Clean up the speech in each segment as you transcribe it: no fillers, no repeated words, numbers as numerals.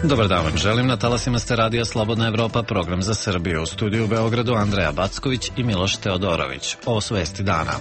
Dobar dan vam želim, na talasima ste radija Slobodna Evropa, program za Srbiju. U studiju u Beogradu Andreja Backović i Miloš Teodorović. Ovo su vesti dana.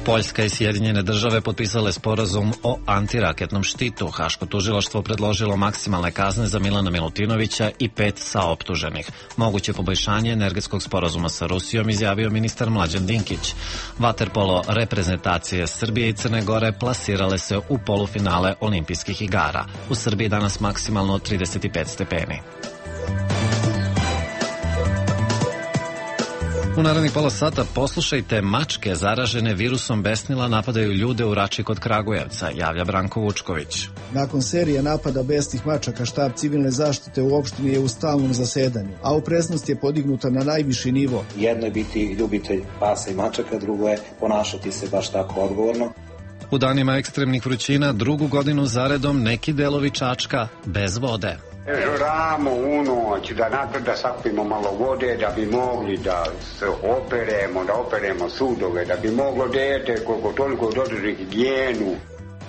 Poljska i Sjedinjene države potpisale sporazum o antiraketnom štitu. Haško tužilaštvo predložilo maksimalne kazne za Milana Milutinovića i 5 saoptuženih. Moguće poboljšanje energetskog sporazuma sa Rusijom izjavio ministar Mlađan Dinkić. Vaterpolo reprezentacije Srbije i Crne Gore plasirale se u polufinale olimpijskih igara. U Srbiji danas maksimalno 35 stepeni. U narednih pola sata poslušajte, mačke zaražene virusom besnila napadaju ljude u Rači kod Kragujevca, javlja Branko Vučković. Nakon serije napada besnih mačaka, štab civilne zaštite u opštini je u stalnom zasedanju, a opreznost je podignuta na najviši nivo. Jedno je biti ljubitelj pasa i mačaka, drugo je ponašati se baš tako odgovorno. U danima ekstremnih vrućina drugu godinu zaredom neki delovi Čačka bez vode. Žuramo u noć da sakupimo malo vode, da bi mogli da se operemo sudove, da bi moglo dete koliko toliko dodrži higijenu.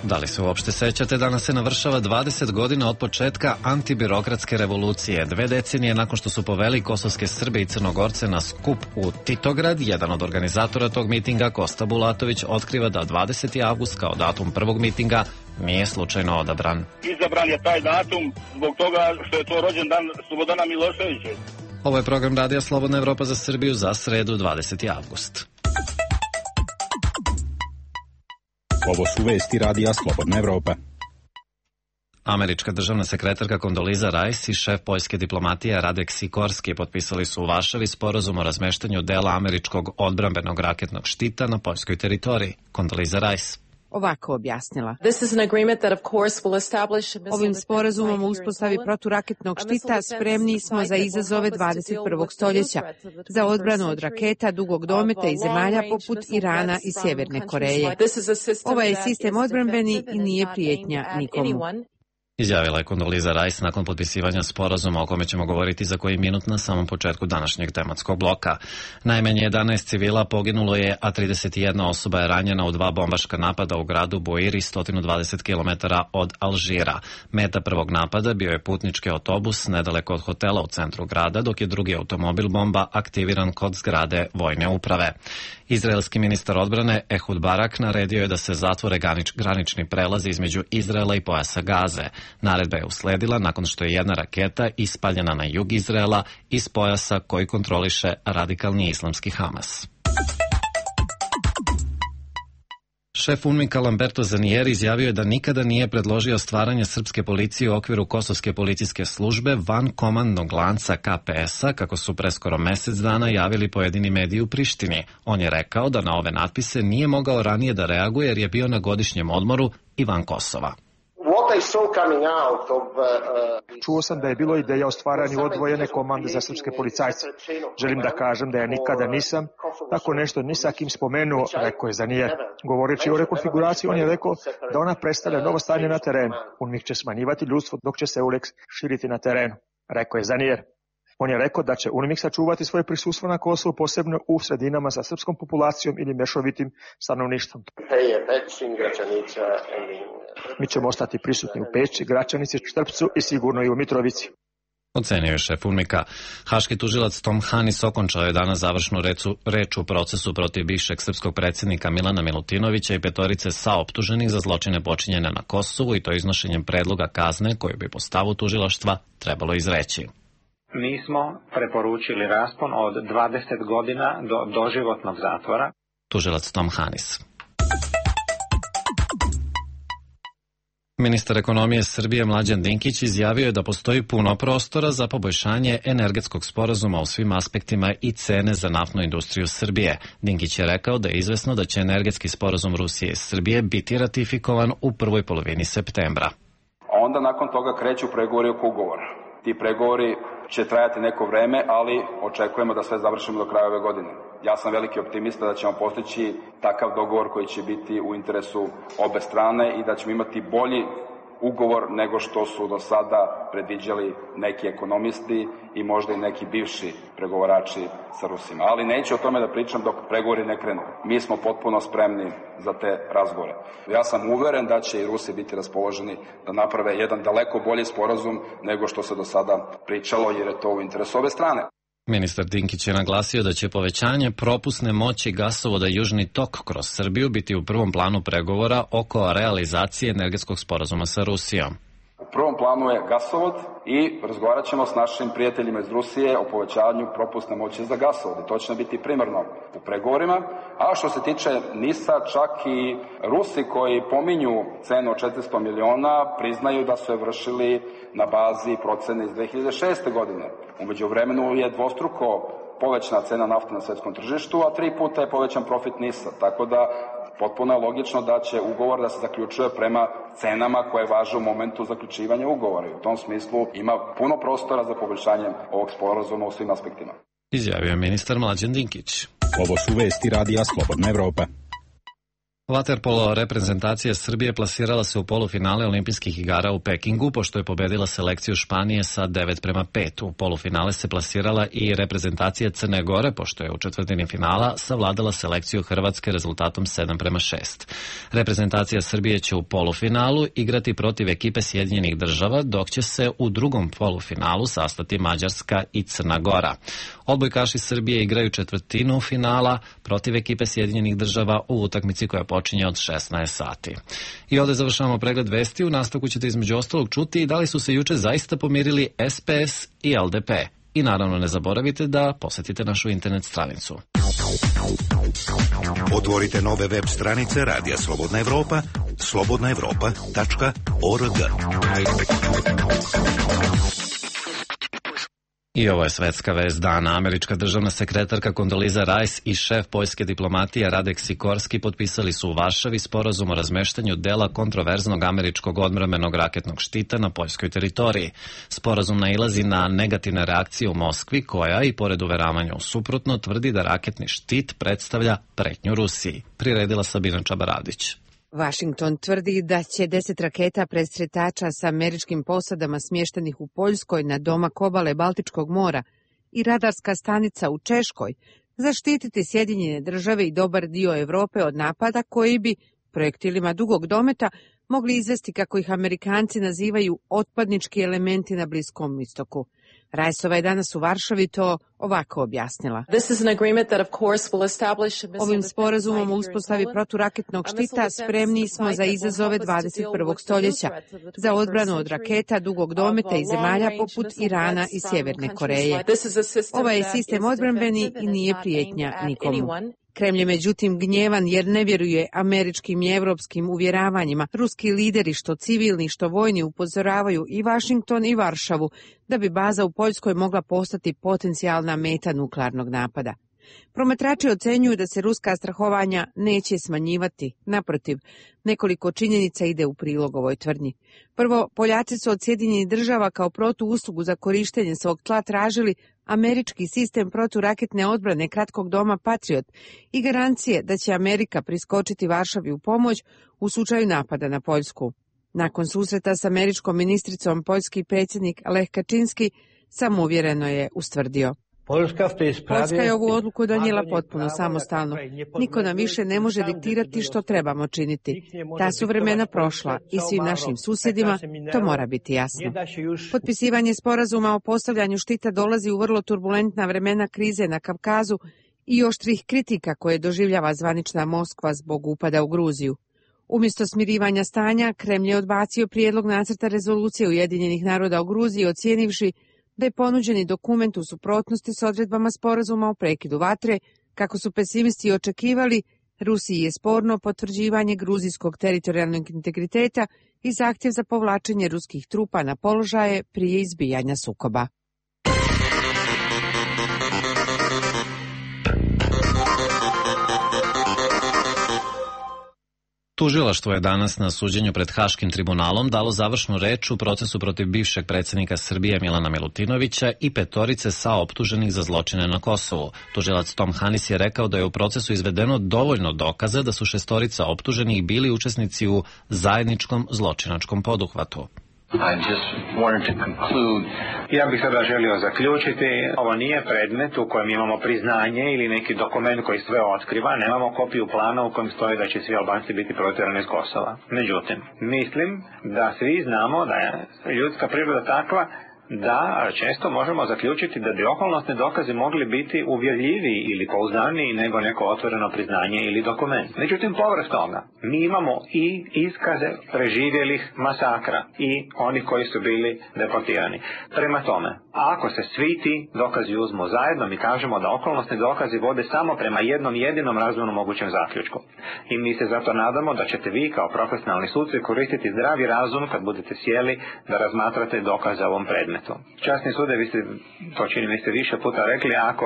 Da li se uopšte sećate, danas se navršava 20 godina od početka antibirokratske revolucije. 2 decenije nakon što su poveli kosovske Srbe i Crnogorce na skup u Titograd, jedan od organizatora tog mitinga, Kosta Bulatović, otkriva da 20. avgust kao datum prvog mitinga nije slučajno odabran. Izabran je taj datum zbog toga što je to rođendan Slobodana Miloševića. Ovo je program radija Slobodna Evropa za Srbiju za sredu 20. avgust. Ovo su vesti radija Slobodna Evropa. Američka državna sekretarka Kondoliza Rice i šef poljske diplomatije Radek Sikorski potpisali su u Varšavi sporazum o razmeštanju dela američkog odbrambenog raketnog štita na poljskoj teritoriji. Kondoliza Rice ovako objasnila. Ovim sporazumom o uspostavi proturaketnog štita spremni smo za izazove 21. stoljeća, za odbranu od raketa dugog dometa i zemalja poput Irana i Sjeverne Koreje. Ovaj je sistem odbrambeni i nije prijetnja nikomu. Izjavila je Kondoliza Rice nakon potpisivanja sporazuma o kome ćemo govoriti za koji minut na samom početku današnjeg tematskog bloka. Najmanje 11 civila poginulo je, a 31 osoba je ranjena u 2 bombaška napada u gradu Boiri, 120 km od Alžira. Meta prvog napada bio je putnički autobus nedaleko od hotela u centru grada, dok je drugi automobil bomba aktiviran kod zgrade vojne uprave. Izraelski ministar odbrane Ehud Barak naredio je da se zatvore granični prelazi između Izraela i pojasa Gaze. Naredba je usledila nakon što je jedna raketa ispaljena na jug Izraela iz pojasa koji kontroliše radikalni islamski Hamas. Šef UNMIK-a Lamberto Zanieri izjavio je da nikada nije predložio stvaranje srpske policije u okviru kosovske policijske službe van komandnog lanca KPS-a, kako su pre skoro mesec dana javili pojedini mediji u Prištini. On je rekao da na ove natpise nije mogao ranije da reaguje jer je bio na godišnjem odmoru i van Kosova. Čuo sam da je bilo ideja o stvaranju odvojene komande za srpske policajce. Želim da kažem da ja nikada nisam tako nešto ni sa kim spomenuo, rekao je Zanier. Govoreći o rekonfiguraciji, on je rekao da ona predstavlja novo stanje na terenu. UNMIK će smanjivati ljudstvo dok će se EULEX širiti na terenu, rekao je Zanier. On je rekao da će UNMIK sačuvati svoje prisustvo na Kosovu, posebno u sredinama sa srpskom populacijom ili mešovitim stanovništvom. Mi ćemo ostati prisutni u Peći, Gračanici, Štrpcu i sigurno i u Mitrovici. Ocenio je šef UNMIK-a. Haški tužilac Tom Hanis okončao je danas završnu reč u procesu protiv bivšeg srpskog predsjednika Milana Milutinovića i 5 saoptuženih za zločine počinjene na Kosovu, i to iznošenjem predloga kazne koju bi po stavu tužilaštva trebalo izreći. Mi smo preporučili raspon od 20 godina do doživotnog zatvora. Tužilac Tom Hanis. Ministar ekonomije Srbije Mlađan Dinkić izjavio je da postoji puno prostora za poboljšanje energetskog sporazuma u svim aspektima i cene za naftnu industriju Srbije. Dinkić je rekao da je izvesno da će energetski sporazum Rusije i Srbije biti ratifikovan u prvoj polovini septembra. Onda nakon toga kreću pregovori oko ugovora. Ti pregovori će trajati neko vreme, ali očekujemo da sve završimo do kraja ove godine. Ja sam veliki optimista da ćemo postići takav dogovor koji će biti u interesu obe strane i da ćemo imati bolji ugovor nego što su do sada predviđali neki ekonomisti i možda i neki bivši pregovarači sa Rusima. Ali neću o tome da pričam dok pregovori ne krenu. Mi smo potpuno spremni za te razgovore. Ja sam uveren da će i Rusi biti raspoloženi da naprave jedan daleko bolji sporazum nego što se do sada pričalo, jer je to u interesu ove strane. Ministar Dinkić je naglasio da će povećanje propusne moći gasovoda Južni tok kroz Srbiju biti u prvom planu pregovora oko realizacije energetskog sporazuma sa Rusijom. U prvom planu je gasovod i razgovarat ćemo s našim prijateljima iz Rusije o povećavanju propusne moći za gasovod. I to će biti primarno u pregovorima. A što se tiče NIS-a, čak i Rusi koji pominju cenu od 400 miliona priznaju da su je vršili na bazi procene iz 2006. godine. Umeđu vremenu je dvostruko povećana cena nafte na svetskom tržištu, a 3 puta je povećan profit NIS-a. Tako da potpuno je logično da će ugovor da se zaključuje prema cenama koje važe u momentu zaključivanja ugovora. I u tom smislu ima puno prostora za poboljšanje ovog sporazuma u svim aspektima. Izjavio je ministar Mlađan Dinkić. Ovo su vesti Radija Slobodna Evropa. Vaterpolo reprezentacija Srbije plasirala se u polufinale olimpijskih igara u Pekingu, pošto je pobedila selekciju Španije sa 9:5. U polufinale se plasirala i reprezentacija Crne Gore, pošto je u četvrtini finala savladala selekciju Hrvatske rezultatom 7:6. Reprezentacija Srbije će u polufinalu igrati protiv ekipe Sjedinjenih Država, dok će se u drugom polufinalu sastati Mađarska i Crna Gora. Odbojkaši Srbije igraju četvrtinu finala protiv ekipe Sjedinjenih Država u utakmici koja počinje od 16 sati. I ovdje završavamo pregled vesti. U nastavku ćete između ostalog čuti da li su se juče zaista pomirili SPS i LDP. I naravno ne zaboravite da posetite našu internet stranicu. Otvorite nove web stranice Radija Slobodna Evropa, slobodnaevropa.org. I ovo je svetska vest dana. Američka državna sekretarka Kondoliza Rice i šef poljske diplomatije Radek Sikorski potpisali su u Varšavi sporazum o razmeštanju dela kontroverznog američkog odbrambenog raketnog štita na poljskoj teritoriji. Sporazum nailazi na negativne reakcije u Moskvi, koja, i pored uveravanja u suprotno, tvrdi da raketni štit predstavlja pretnju Rusiji. Priredila Sabina Čabaradić. Washington tvrdi da će 10 raketa presretača sa američkim posadama smještenih u Poljskoj na domak obale Baltičkog mora i radarska stanica u Češkoj zaštititi Sjedinjene Države i dobar dio Europe od napada koji bi projektilima dugog dometa mogli izvesti, kako ih Amerikanci nazivaju, otpadnički elementi na Bliskom istoku. Rajsova je danas u Varšavi to ovako objasnila. Ovim sporazumom o uspostavi proturaketnog štita spremni smo za izazove 21. stoljeća, za odbranu od raketa dugog dometa i zemalja poput Irana i Sjeverne Koreje. Ovaj je sistem odbrambeni i nije prijetnja nikomu. Kremlj je međutim gnjevan jer ne vjeruje američkim i evropskim uvjeravanjima. Ruski lideri, što civilni, što vojni, upozoravaju i Washington i Varšavu da bi baza u Poljskoj mogla postati potencijalna meta nuklearnog napada. Promatrači ocenjuju da se ruska strahovanja neće smanjivati. Naprotiv, nekoliko činjenica ide u prilog ovoj tvrdnji. Prvo, Poljaci su od Sjedinjenih Država kao protuuslugu za korištenje svog tla tražili američki sistem proturaketne odbrane kratkog doma Patriot i garancije da će Amerika priskočiti Varšavi u pomoć u slučaju napada na Poljsku. Nakon susreta s američkom ministricom, poljski predsjednik Lech Kaczynski samouvjereno je ustvrdio: Poljska je ovu odluku donijela potpuno samostalno. Niko nam više ne može diktirati što trebamo činiti. Ta su vremena prošla i svim našim susjedima to mora biti jasno. Potpisivanje sporazuma o postavljanju štita dolazi u vrlo turbulentna vremena krize na Kavkazu i oštrih kritika koje doživljava zvanična Moskva zbog upada u Gruziju. Umjesto smirivanja stanja, Kremlj je odbacio prijedlog nacrta rezolucije Ujedinjenih naroda o Gruziji, ocijenivši da je ponuđeni dokument u suprotnosti s odredbama sporazuma o prekidu vatre. Kako su pesimisti očekivali, Rusiji je sporno potvrđivanje gruzijskog teritorijalnog integriteta i zahtjev za povlačenje ruskih trupa na položaje prije izbijanja sukoba. Tužilaštvo je danas na suđenju pred Haškim tribunalom dalo završnu reč u procesu protiv bivšeg predsjednika Srbije Milana Milutinovića i 5 saoptuženih za zločine na Kosovu. Tužilac Tom Hanis je rekao da je u procesu izvedeno dovoljno dokaza da su 6 optuženih bili učesnici u zajedničkom zločinačkom poduhvatu. Ja bih sada želio zaključiti, ovo nije predmet u kojem imamo priznanje ili neki dokument koji sve otkriva, nemamo kopiju plana u kojem stoji da će svi Albanci biti protjerani iz Kosova. Međutim, mislim da svi znamo da je ljudska priroda takva da često možemo zaključiti da bi okolnosni dokazi mogli biti uvjerljiviji ili pouzdaniji nego neko otvoreno priznanje ili dokument. Međutim, povrh toga, mi imamo i iskaze preživjelih masakra i onih koji su bili deportirani. Prema tome, ako se svi ti dokazi uzmu zajedno, mi kažemo da okolnosni dokazi vode samo prema jednom jedinom razumno mogućem zaključku. I mi se zato nadamo da ćete vi kao profesionalni suci koristiti zdravi razum kad budete sjeli da razmatrate dokaze o ovom predmetu. Časni sude, vi ste, to čini mi ste više puta rekli, ako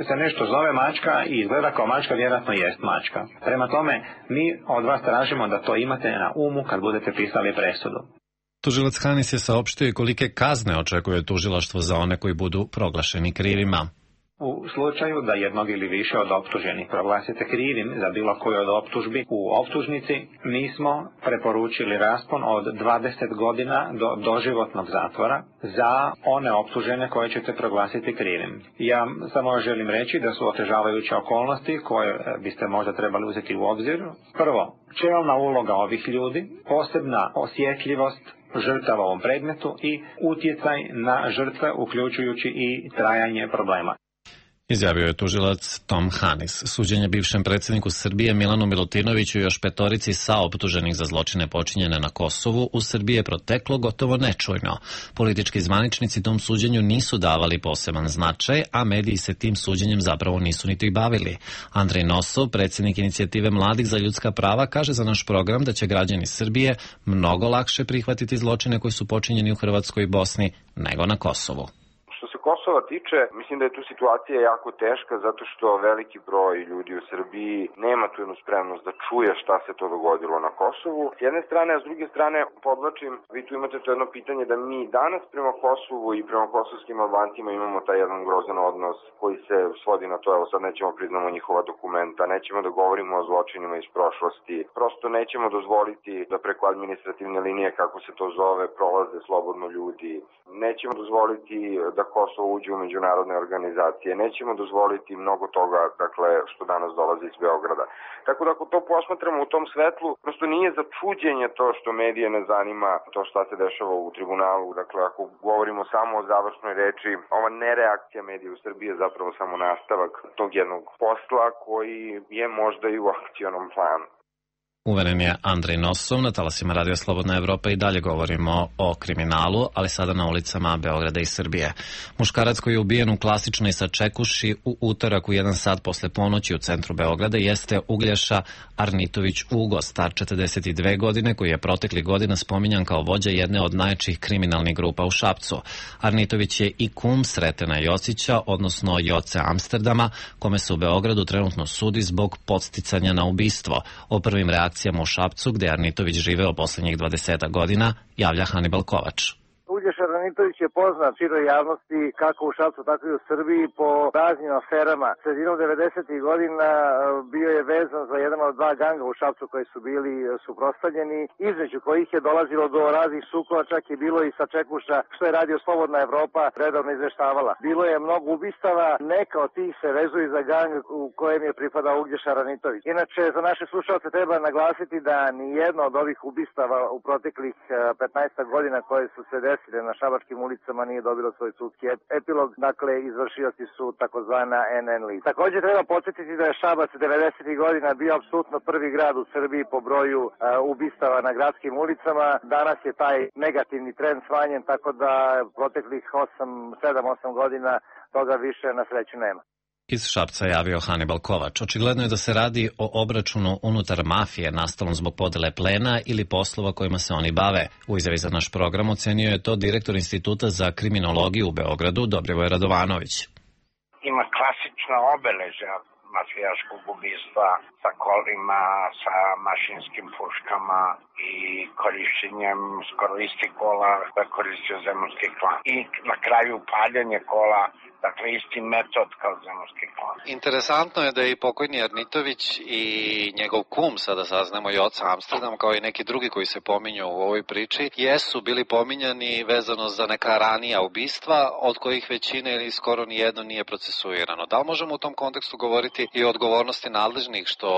se nešto zove mačka i izgleda kao mačka, vjerojatno jest mačka. Prema tome, mi od vas tražimo da to imate na umu kad budete pisali presudu. Tužilac Hanis je saopštio i kolike kazne očekuje tužilaštvo za one koji budu proglašeni krivima. U slučaju da jednog ili više od optuženih proglasite krivim za bilo koju od optužbi u optužnici, mi smo preporučili raspon od 20 godina do doživotnog zatvora za one optužene koje ćete proglasiti krivim. Ja samo želim reći da su otežavajuće okolnosti koje biste možda trebali uzeti u obzir. Prvo, čelna uloga ovih ljudi, posebna osjetljivost žrtava u ovom predmetu i utjecaj na žrtve uključujući i trajanje problema. Izjavio je tužilac Tom Hanis. Suđenje bivšem predsjedniku Srbije Milanu Milutinoviću i još 5 saoptuženih za zločine počinjene na Kosovu u Srbiji je proteklo gotovo nečujno. Politički zvaničnici tom suđenju nisu davali poseban značaj, a mediji se tim suđenjem zapravo nisu niti bavili. Andrej Nosov, predsjednik inicijative Mladih za ljudska prava, kaže za naš program da će građani Srbije mnogo lakše prihvatiti zločine koji su počinjeni u Hrvatskoj i Bosni nego na Kosovu. Što se Kosova tiče, mislim da je tu situacija jako teška zato što veliki broj ljudi u Srbiji nema tu jednu spremnost da čuje šta se to dogodilo na Kosovu. S jedne strane, a s druge strane, podvlačim, vi tu imate to jedno pitanje da mi danas prema Kosovu i prema kosovskim Albancima imamo taj jedan grozan odnos koji se svodi na to, evo sad nećemo priznamo njihova dokumenta, nećemo da govorimo o zločinima iz prošlosti, prosto nećemo dozvoliti da preko administrativne linije, kako se to zove, prolaze slobodno ljudi, nećemo dozvoliti da Kosovo uđe u međunarodne organizacije. Nećemo dozvoliti mnogo toga, dakle, što danas dolazi iz Beograda. Tako da ako to posmatramo u tom svetlu, prosto nije za čuđenje to što medije ne zanima to šta se dešava u tribunalu. Dakle, ako govorimo samo o završnoj reči, ova nereakcija medija u Srbiji je zapravo samo nastavak tog jednog posla koji je možda i u akcionom planu. Uveren je Andrej Nosov. Na talasima Radio Slobodna Evropa i dalje govorimo o kriminalu, ali sada na ulicama Beograda i Srbije. Muškarac koji je ubijen u klasičnoj sačekuši u utorak u 1 sat posle ponoći u centru Beograda jeste Uglješa Arnitović Ugo, star 42 godine, koji je protekli godina spominjan kao vođa jedne od najjačih kriminalnih grupa u Šapcu. Arnitović je i kum Sretena Jocića, odnosno Joce Amsterdama, kome se u Beogradu trenutno sudi zbog podsticanja na ubistvo. O prvim reakcijama u Šapcu, gde je Arnitović živeo poslednjih 20 godina, javlja Hanibal Kovač. Uglješa Arnitović je poznat široj javnosti kako u Šapcu, tako i u Srbiji po raznim aferama. Sredinom 90. godina bio je vezan za jedan od 2 ganga u Šapcu koji su bili suprotstavljeni, između kojih je dolazilo do raznih sukoba, čak je bilo i sačekuša, što je Radio Slobodna Evropa redovno izveštavala. Bilo je mnogo ubistava, neka od tih se vezuju za gang u kojem je pripadao Uglješa Arnitović. Inače, za naše slušalce treba naglasiti da ni jedno od ovih ubistava u proteklih 15 godina koje su se desile na šabačkim ulicama nije dobilo svoj sudski epilog, dakle izvršioci su takozvana NN lista. Također treba podsjetiti da je Šabac 90. godina bio apsolutno prvi grad u Srbiji po broju ubistava na gradskim ulicama. Danas je taj negativni trend smanjen, tako da proteklih 7-8 godina toga više na sreću nema. Iz Šapca javio Hanibal Kovač. Očigledno je da se radi o obračunu unutar mafije nastalom zbog podele plena ili poslova kojima se oni bave. U izjavi za naš program ocenio je to direktor Instituta za kriminologiju u Beogradu, Dobrivoj Radovanović. Ima klasična obeležja mafijaškog ubistva sa kolima, sa mašinskim puškama i korišćenjem skoro istih kola koje koristio zemunski klan. I na kraju paljanje kola, dakle isti metod kao zemunski klan. Interesantno je da je i pokojni Arnitović i njegov kum, sada saznamo i oca Amsterdam, kao i neki drugi koji se pominju u ovoj priči, jesu bili pominjani vezano za neka ranija ubistva, od kojih većina ili skoro nijedno nije procesuirano. Da li možemo u tom kontekstu govoriti i o odgovornosti nadležnih što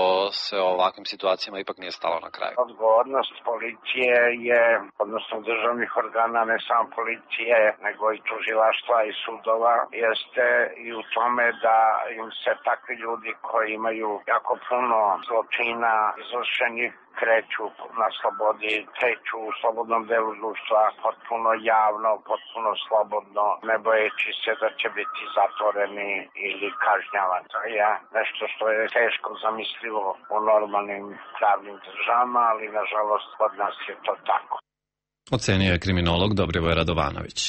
se o ovakvim situacijama ipak nije stalo na kraju? Odgovornost policije je, odnosno državnih organa, ne samo policije, nego i tužilaštva i sudova, jeste i u tome da im se takvi ljudi koji imaju jako puno zločina izvršenih kreću na slobodi, kreću u slobodnom delu društva, potpuno javno, potpuno slobodno, ne bojeći se da će biti zatvoreni ili kažnjavani. To je nešto što je teško zamislivo u normalnim pravnim državama, ali nažalost kod nas je to tako. Ocenio je kriminolog Dobrivoj Radovanović.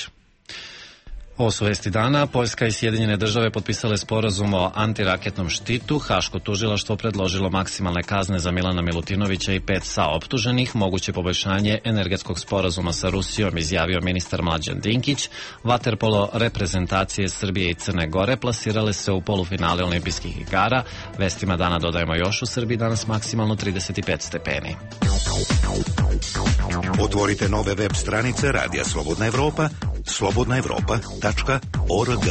Ovo su vesti dana. Poljska i Sjedinjene države potpisale sporazum o antiraketnom štitu. Haško tužilaštvo predložilo maksimalne kazne za Milana Milutinovića i 5 saoptuženih. Moguće poboljšanje energetskog sporazuma sa Rusijom, izjavio ministar Mlađan Dinkić. Vaterpolo reprezentacije Srbije i Crne Gore plasirale se u polufinale olimpijskih igara. Vestima dana dodajemo još, u Srbiji danas maksimalno 35 stepeni. Otvorite nove web stranice Radija Slobodna Evropa, slobodnaevropa.org.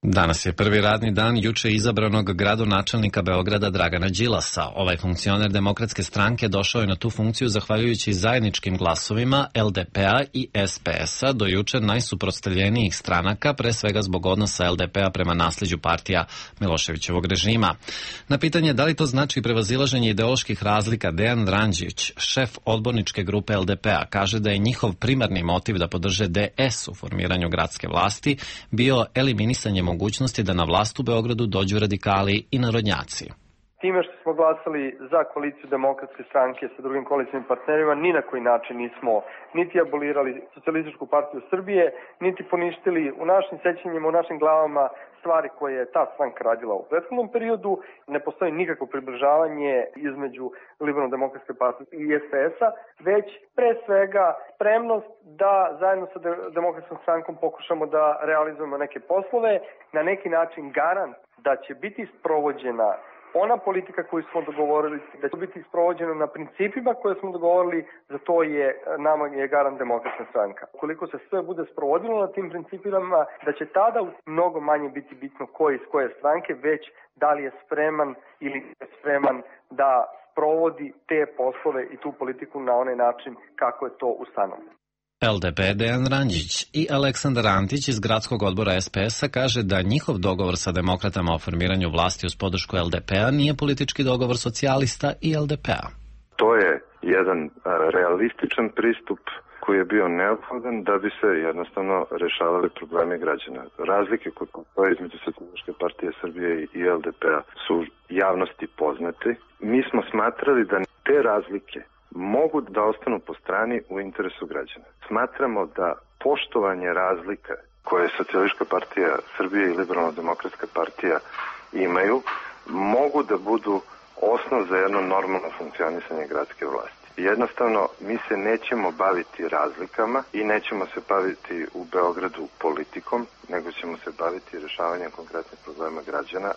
Danas je prvi radni dan juče izabranog gradonačelnika Beograda Dragana Đilasa. Ovaj funkcioner Demokratske stranke došao je na tu funkciju zahvaljujući zajedničkim glasovima LDP-a i SPS-a, do juče najsuprotstavljenijih stranaka, pre svega zbog odnosa LDP-a prema nasleđu partija Miloševićevog režima. Na pitanje da li to znači prevazilaženje ideoloških razlika, Dejan Randžić, šef odborničke grupe LDP-a, kaže da je njihov primarni motiv da podrže DS u formiranju gradske vlasti bio eliminisanje mogućnosti da na vlast u Beogradu dođu radikali i narodnjaci. Time što smo glasali za koaliciju Demokratske stranke sa drugim koalicijnim partnerima, ni na koji način nismo niti abolirali Socijalističku partiju Srbije, niti poništili u našim sećanjima, u našim glavama stvari koje je ta stranka radila u prethodnom periodu. Ne postoji nikakvo približavanje između Liberalno-demokratske partije i SPS-a, već pre svega spremnost da zajedno sa Demokratskom strankom pokušamo da realizujemo neke poslove, na neki način garant da će biti sprovođena ona politika koju smo dogovorili, da će biti sprovođena na principima koje smo dogovorili, za to je nama je garant Demokratska stranka. Ukoliko se sve bude sprovodilo na tim principima, da će tada mnogo manje biti bitno ko je iz koje stranke, već da li je spreman ili je spreman da sprovodi te poslove i tu politiku na onaj način kako je to ustanovljeno. LDP Dejan Randžić i Aleksandar Antić iz gradskog odbora SPS-a kaže da njihov dogovor sa demokratama o formiranju vlasti uz podršku LDP-a nije politički dogovor socijalista i LDP-a. To je jedan realističan pristup koji je bio neophodan da bi se jednostavno rešavali problemi građana. Razlike koje postoje između Socijalističke partije Srbije i LDP-a su javnosti poznate. Mi smo smatrali da te razlike mogu da ostanu po strani u interesu građana. Smatramo da poštovanje razlika koje Socijalistička partija Srbije i Liberalno-demokratska partija imaju mogu da budu osnov za jedno normalno funkcionisanje gradske vlasti. Jednostavno, mi se nećemo baviti razlikama i nećemo se baviti u Beogradu politikom, nego ćemo se baviti rešavanjem konkretnih problema građana.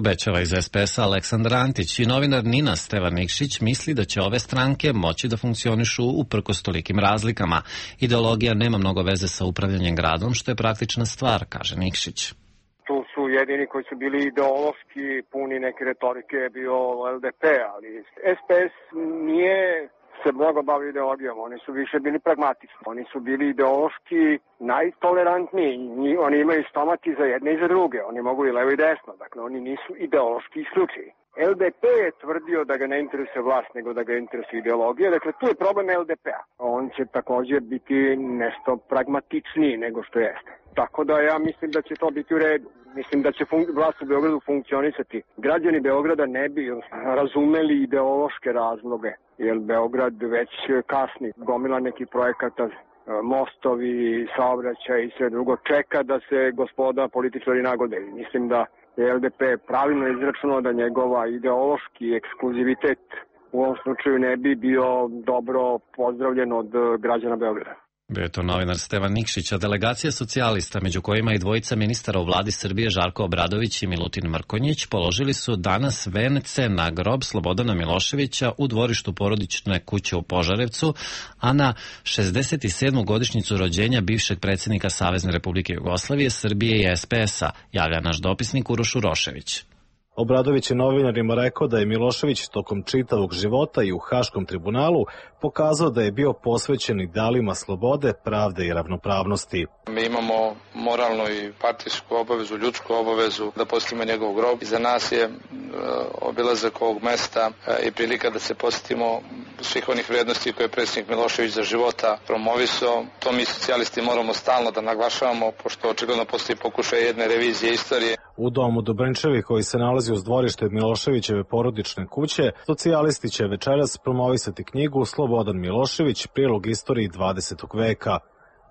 Obećava iz SPS-a Aleksandar Antić i novinar Nina Stevan Nikšić misli da će ove stranke moći da funkcionišu uprkos tolikim razlikama. Ideologija nema mnogo veze sa upravljanjem gradom, što je praktična stvar, kaže Nikšić. Tu su jedini koji su bili ideološki puni neke retorike bio LDP, ali SPS nije se mnogo bavi ideologijom, oni su više bili pragmatični, oni su bili ideološki najtolerantniji, oni imaju stomak i za jedne i za druge, oni mogu i levo i desno, dakle oni nisu ideološki isključivi. LDP je tvrdio da ga ne interesuje vlast, nego da ga interesuje ideologija, dakle tu je problem LDP-a. On će također biti nešto pragmatičniji nego što jeste. Tako da ja mislim da će to biti u redu. Mislim da će vlast u Beogradu funkcionisati. Građani Beograda ne bi razumeli ideološke razloge, jer Beograd već kasni. Gomila nekih projekata mostovi, saobraćaj i sve drugo čeka da se gospoda političari nagode. Mislim da je LDP pravilno izračunao da njegova ideološki ekskluzivitet u ovom slučaju ne bi bio dobro pozdravljen od građana Beograda. Bio je to novinar Stevan Nikšić, a delegacija socijalista, među kojima i dvojica ministara u vladi Srbije Žarko Obradović i Milutin Mrkonjić, položili su danas vence na grob Slobodana Miloševića u dvorištu porodične kuće u Požarevcu, a na 67. godišnjicu rođenja bivšeg predsjednika Savezne Republike Jugoslavije, Srbije i SPS-a, javlja naš dopisnik Uroš Urošević. Obradović je novinarima rekao da je Milošević tokom čitavog života i u Haškom tribunalu pokazao da je bio posvećen idealima slobode, pravde i ravnopravnosti. Mi imamo moralnu i partijsku obavezu, ljudsku obavezu da posjetimo njegov grob. Za nas je obilazak ovog mesta i prilika da se posjetimo svih onih vrednosti koje je predsjednik Milošević za života promovisao. To mi socijalisti moramo stalno da naglašavamo, pošto očigledno postoji pokušaj jedne revizije istorije. U domu Dobrinčevi, koji se nalazi uz dvorište Miloševićeve porodične kuće, socijalisti će večeras promovisati knjigu Slobodan Milošević, prilog istoriji 20. veka.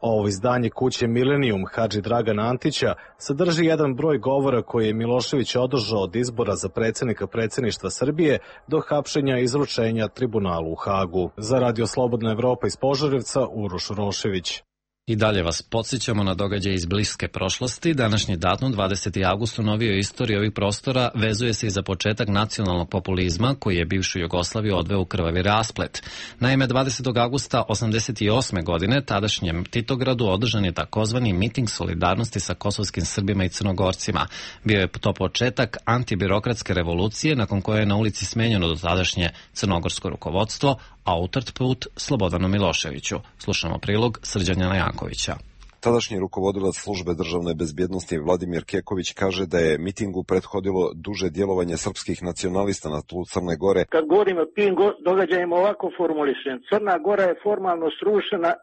Ovo izdanje kuće Milenijum Hadži Dragana Antića sadrži jedan broj govora koje je Milošević održao od izbora za predsjednika predsjedništva Srbije do hapšenja i izručenja tribunalu u Hagu. Za Radio Slobodna Evropa iz Požarevca, Uroš Urošević. I dalje vas podsjećamo na događaje iz bliske prošlosti. Današnji datum, 20. avgust u novijoj istoriji ovih prostora, vezuje se i za početak nacionalnog populizma koji je bivšu Jugoslaviju odveo u krvavi rasplet. Naime, 20. avgusta 1988. godine tadašnjem Titogradu održan je takozvani miting solidarnosti sa kosovskim Srbima i Crnogorcima. Bio je to početak antibirokratske revolucije nakon koje je na ulici smenjeno do tadašnje crnogorsko rukovodstvo, a utrt put Slobodanu Miloševiću. Slušamo prilog Srđana Jankovića. Tadašnji rukovodilac službe državne bezbjednosti Vladimir Keković kaže da je mitingu prethodilo duže djelovanje srpskih nacionalista na tlu Crne Gore. Kad govorimo o tim događajima ovako formulišem, Crna Gora je formalno srušena 10.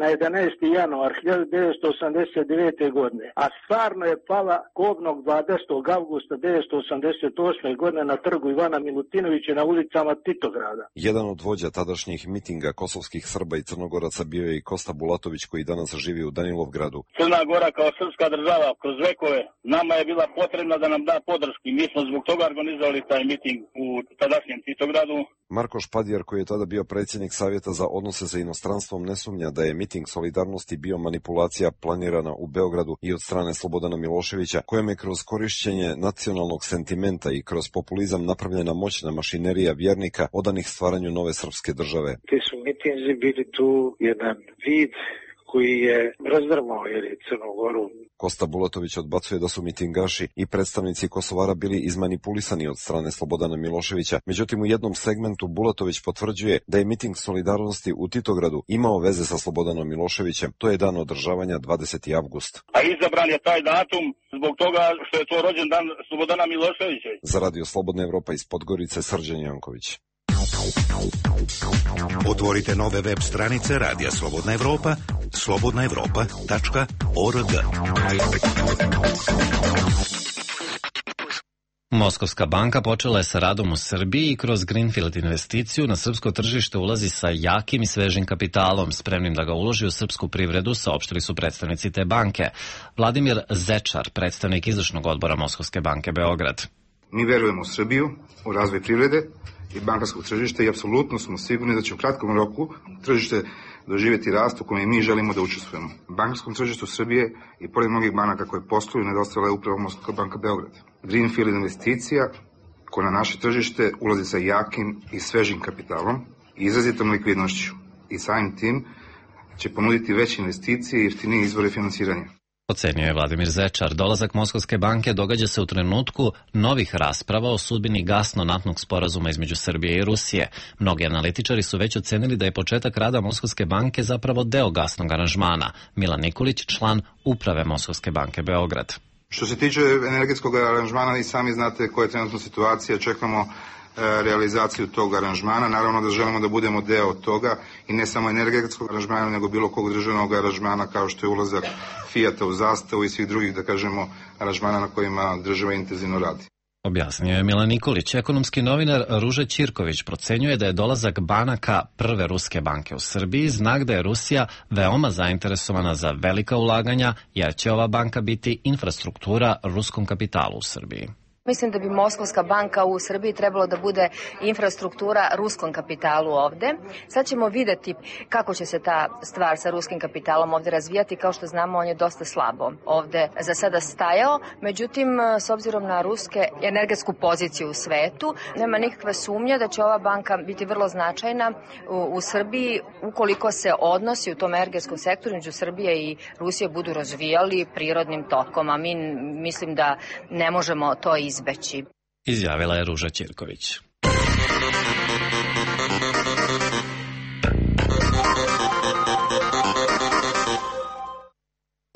na 11. januar 1989. godine, a stvarno je pala kobnog 20. avgusta 1988. godine na trgu Ivana Milutinovića na ulicama Titograda. Jedan od vođa tadašnjih mitinga kosovskih Srba i Crnogoraca bio je i Kosta Bulatović, koji danas živi u Danilovgradu. Crna Gora kao srpska država kroz vekove nama je bila potrebna da nam da podrški. Mi smo zbog toga organizovali taj miting u tadašnjem Titogradu. Marko Špadjar, koji je tada bio predsjednik Savjeta za odnose sa inostranstvom, ne sumnja da je miting solidarnosti bio manipulacija planirana u Beogradu i od strane Slobodana Miloševića, kojem je kroz korišćenje nacionalnog sentimenta i kroz populizam napravljena moćna mašinerija vjernika odanih stvaranju nove srpske države. Ti su mitinzi bili tu jedan vid koji je razdrmao Crnu Goru. Kosta Bulatović odbacuje da su mitingaši i predstavnici Kosovara bili izmanipulisani od strane Slobodana Miloševića. Međutim, u jednom segmentu Bulatović potvrđuje da je miting solidarnosti u Titogradu imao veze sa Slobodanom Miloševićem. To je dan održavanja 20. avgust. A izabran je taj datum zbog toga što je to rođendan Slobodana Miloševića. Za Radio Slobodna Evropa iz Podgorice, Srđan Janković. Otvorite nove web stranice Radija Slobodna Evropa, slobodnaevropa.org. Moskovska banka počela je sa radom u Srbiji i kroz Greenfield investiciju na srpsko tržište ulazi sa jakim i svežim kapitalom, spremnim da ga uloži u srpsku privredu, saopštili su predstavnici te banke. Vladimir Zečar, predstavnik izvršnog odbora Moskovske banke Beograd. Mi verujemo u Srbiju, u razvoj privrede i bankarskog tržišta i apsolutno smo sigurni da će u kratkom roku tržište doživjeti rast u kojem mi želimo da učestvujemo. Bankarskom tržištu Srbije i pored mnogih banaka koje posluju nedostajala je upravo Moskovska banka Beograd. Greenfield investicija koja na naše tržište ulazi sa jakim i svežim kapitalom i izrazitom likvidnošću i samim tim će ponuditi veće investicije i jeftinije izvore finansiranja. Ocenio je Vladimir Zečar. Dolazak Moskovske banke događa se u trenutku novih rasprava o sudbini gasno-naftnog sporazuma između Srbije i Rusije. Mnogi analitičari su već ocenili da je početak rada Moskovske banke zapravo deo gasnog aranžmana. Milan Nikolić, član uprave Moskovske banke Beograd. Što se tiče energetskog aranžmana, i sami znate koja je trenutna situacija, čekamo realizaciju tog aranžmana. Naravno da želimo da budemo deo toga i ne samo energetskog aranžmana, nego bilo kog državnog aranžmana kao što je ulazak Fijata u Zastavu i svih drugih, da kažemo, aranžmana na kojima država intenzivno radi. Objasnio je Milan Nikolić. Ekonomski novinar Ruža Ćirković procenjuje da je dolazak banaka prve ruske banke u Srbiji znak da je Rusija veoma zainteresovana za velika ulaganja, jer će ova banka biti infrastruktura ruskom kapitalu u Srbiji. Mislim da bi Moskovska banka u Srbiji trebalo da bude infrastruktura ruskom kapitalu ovde. Sad ćemo videti kako će se ta stvar sa ruskim kapitalom ovde razvijati. Kao što znamo, on je dosta slabo ovde za sada stajao. Međutim, s obzirom na ruske energetsku poziciju u svetu, nema nikakve sumnje da će ova banka biti vrlo značajna u Srbiji ukoliko se odnosi u tom energetskom sektoru među Srbije i Rusije budu razvijali prirodnim tokom. A mi mislim da ne možemo to izbeći. Izjavila je Ruža Ćirković.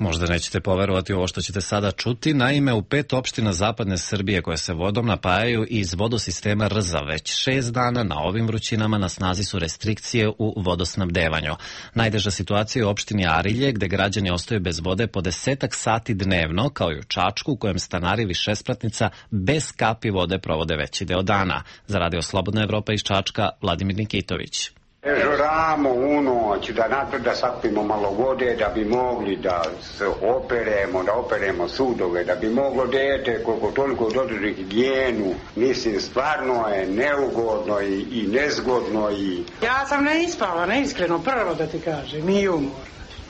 Možda nećete poverovati ovo što ćete sada čuti. Naime, u 5 opština zapadne Srbije koje se vodom napajaju iz vodosistema Rza već 6 dana na ovim vrućinama na snazi su restrikcije u vodosnabdevanju. Najteža situacija je u opštini Arilje, gde građani ostaju bez vode po 10 sati dnevno, kao i u Čačku, u kojem stanari višespratnica bez kapi vode provode veći deo dana. Za Radio Slobodna Evropa iz Čačka, Vladimir Nikitović. Žuramo u noć da sakupimo malo vode da bi mogli da se operemo sudove, da bi moglo dete koliko toliko dodrži higijenu. Mislim, stvarno je neugodno i nezgodno. Ja sam neispavana, iskreno, prvo da ti kažem, i umor.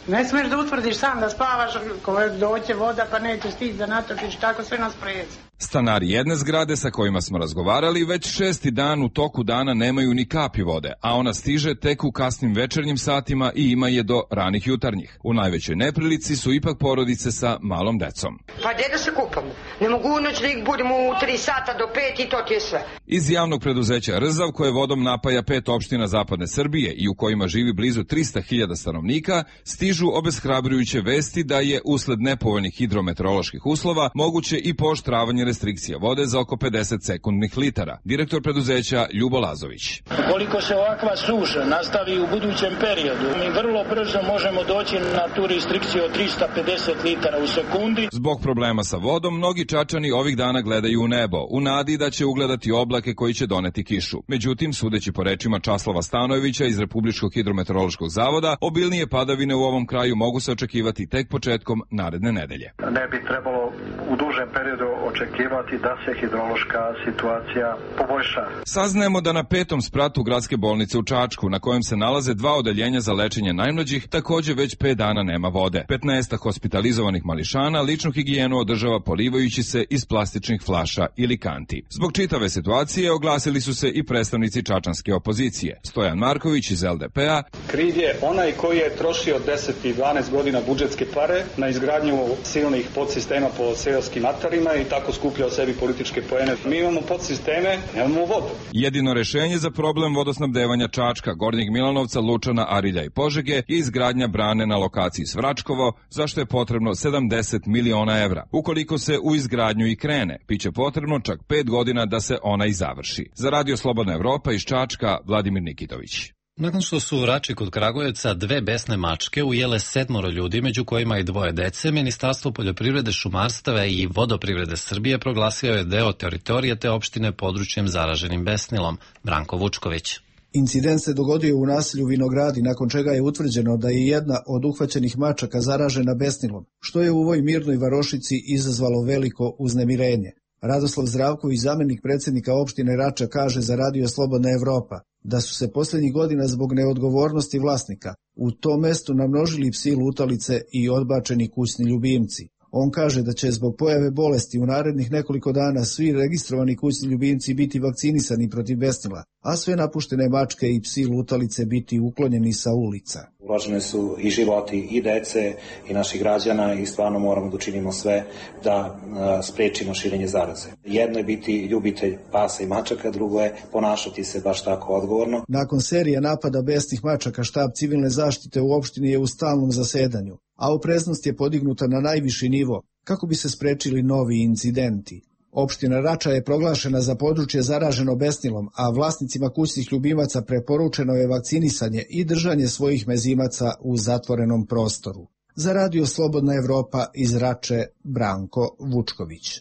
Ne smiješ da utvrdiš sam da spavaš, ko doće voda pa nećeš stići da natočiš, tako sve nas prezi. Stanari jedne zgrade sa kojima smo razgovarali već 6. dan u toku dana nemaju ni kapi vode, a ona stiže tek u kasnim večernjim satima i ima je do ranih jutarnjih. U najvećoj neprilici su ipak porodice sa malom decom. Pa gdje da se kupamo? Ne mogu u noć da ih budemo u 3 sata do 5 i to ti je sve. Iz javnog preduzeća Rzav, koje vodom napaja 5 opština zapadne Srbije i u kojima živi blizu 300.000 stanovnika, stižu obeshrabrujuće vesti da je usled nepovoljnih hidrometeoroloških uslova moguće i pooštravanje restrikcija vode za oko 50 sekundnih litara. Direktor preduzeća Ljubo Lazović. Ukoliko se ovakva suša nastavi u budućem periodu, mi vrlo brzo možemo doći na tu restrikciju od 350 litara u sekundi. Zbog problema sa vodom, mnogi Čačani ovih dana gledaju u nebo, u nadi da će ugledati oblake koji će doneti kišu. Međutim, sudeći po rečima Časlava Stanojevića iz Republičkog hidrometeorološkog zavoda, obilnije padavine u ovom kraju mogu se očekivati tek početkom naredne nedelje. Ne bi trebalo u dužem periodu očekivati da se hidrološka situacija poboljša. Saznajemo da na 5. spratu gradske bolnice u Čačku, na kojem se nalaze 2 odeljenja za lečenje najmlađih, takođe već 5 dana nema vode. 15 hospitalizovanih mališana ličnu higijenu održava polivajući se iz plastičnih flaša ili kanti. Zbog čitave situacije oglasili su se i predstavnici čačanske opozicije. Stojan Marković iz LDP-a. Kriv je onaj koji je trošio 10 i 12 godina budžetske pare na izgradnju silnih podsistema po seoskim atarima i tako skupljao sebi političke poene. Mi imamo podsisteme, nemamo vodu. Jedino rešenje za problem vodosnabdevanja Čačka, Gornjeg Milanovca, Lučana, Arilja i Požege je izgradnja brane na lokaciji Svračkovo, za što je potrebno 70 miliona evra. Ukoliko se u izgradnju i krene, biće potrebno čak 5 godina da se ona i završi. Za Radio Slobodna Evropa iz Čačka, Vladimir Nikitović. Nakon što su u Rači kod Kragujevca 2 besne mačke ujele 7 ljudi, među kojima i 2 dece, Ministarstvo poljoprivrede, šumarstva i vodoprivrede Srbije proglasio je deo teritorije te opštine područjem zaraženim besnilom. Branko Vučković. Incident se dogodio u naselju Vinogradi, nakon čega je utvrđeno da je jedna od uhvaćenih mačaka zaražena besnilom, što je u ovoj mirnoj varošici izazvalo veliko uznemirenje. Radoslav Zdravković, zamenik predsjednika opštine Rača, kaže za Radio Slobodna Evropa da su se posljednjih godina zbog neodgovornosti vlasnika u tom mestu namnožili psi lutalice i odbačeni kućni ljubimci. On kaže da će zbog pojave bolesti u narednih nekoliko dana svi registrovani kućni ljubimci biti vakcinisani protiv besnila, a sve napuštene mačke i psi lutalice biti uklonjeni sa ulica. Ugrožene su i životi i dece i naših građana i stvarno moramo da učinimo sve da sprečimo širenje zaraze. Jedno je biti ljubitelj pasa i mačaka, drugo je ponašati se baš tako odgovorno. Nakon serije napada besnih mačaka, štab civilne zaštite u opštini je u stalnom zasedanju, a opreznost je podignuta na najviši nivo kako bi se sprečili novi incidenti. Opština Rača je proglašena za područje zaraženo besnilom, a vlasnicima kućnih ljubimaca preporučeno je vakcinisanje i držanje svojih mezimaca u zatvorenom prostoru. Za Radio Slobodna Evropa iz Rače, Branko Vučković.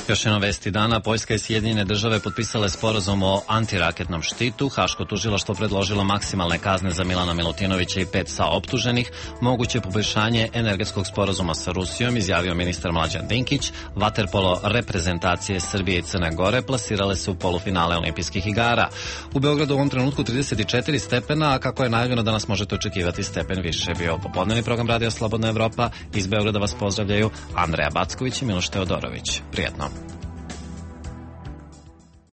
Još jedno vesti dana, Poljska i Sjedinjene države potpisale sporazum o antiraketnom štitu. Haško tužilaštvo predložilo maksimalne kazne za Milana Milutinovića i 5 saoptuženih. Moguće poboljšanje energetskog sporazuma sa Rusijom, izjavio ministar Mlađan Dinkić. Vaterpolo reprezentacije Srbije i Crne Gore plasirale se u polufinale olimpijskih igara. U Beogradu u ovom trenutku 34 stepena, a kako je najavljeno danas možete očekivati stepen više. Bio popodnevni program Radio Slobodna Evropa. Iz Beograda vas pozdravljaju Andreja Backović i Miloš Teodorović. Prijetno.